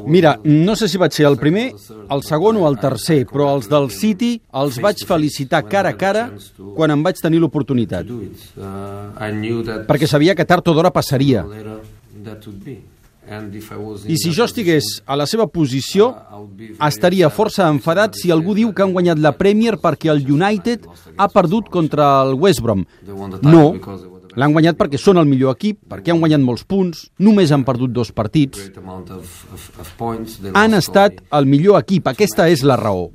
Mira, no sé si vaig ser el primer, el segon o el tercer, però els del City els vaig felicitar cara a cara quan em vaig tenir l'oportunitat. Perquè sabia que tard o d'hora passaria. I si jo estigués a la seva posició, estaria força enfadat si algú diu que han guanyat la Premier perquè el United ha perdut contra el West Brom. No, l'han guanyat perquè són el millor equip, perquè han guanyat molts punts, només han perdut 2 partits. Han estat el millor equip, aquesta és la raó.